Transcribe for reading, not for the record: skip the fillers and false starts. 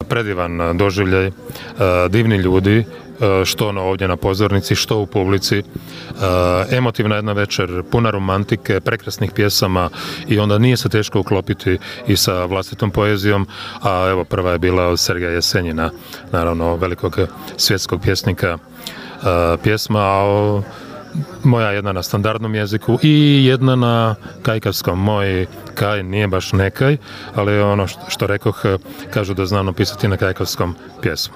predivan doživljaj, divni ljudi, što ono ovdje na pozornici, što u publici, emotivna jedna večer, puna romantike, prekrasnih pjesama i onda nije se teško uklopiti i sa vlastitom poezijom, a evo prva je bila od Sergeja Jesenjina, naravno velikog svjetskog pjesnika, pjesma, a moja jedna na standardnom jeziku i jedna na kajkavskom. Moj kaj nije baš nekaj, ali ono što rekoh, kažu da znam napisati na kajkavskom pjesmu.